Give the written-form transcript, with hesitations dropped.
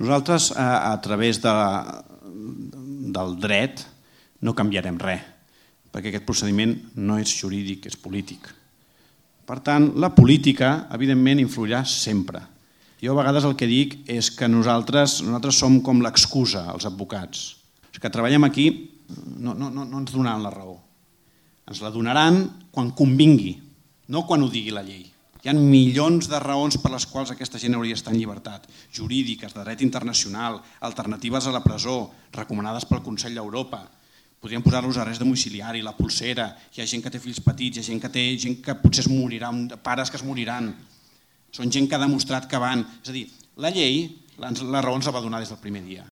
Nosaltres, a través del dret, no canviarem res, perquè aquest procediment no és jurídic, és polític. Per tant, la política, evidentment, influirà sempre. Jo a vegades el que dic és que nosaltres som com l'excusa, els advocats. Els que treballem aquí no ens donaran la raó. Ens la donaran quan convingui, no quan ho digui la llei. Hi ha milions de raons per les quals aquesta gent hauria d'estar en llibertat, jurídiques, de dret internacional, alternatives a la presó, recomanades pel Consell d'Europa. Podríem posar-los arrest domiciliari, la polsera, hi ha gent que té fills petits, hi ha gent que potser es moriran, pares que es moriran. Són gent que ha demostrat que van... És a dir, la llei, la raó ens la va donar des del primer dia.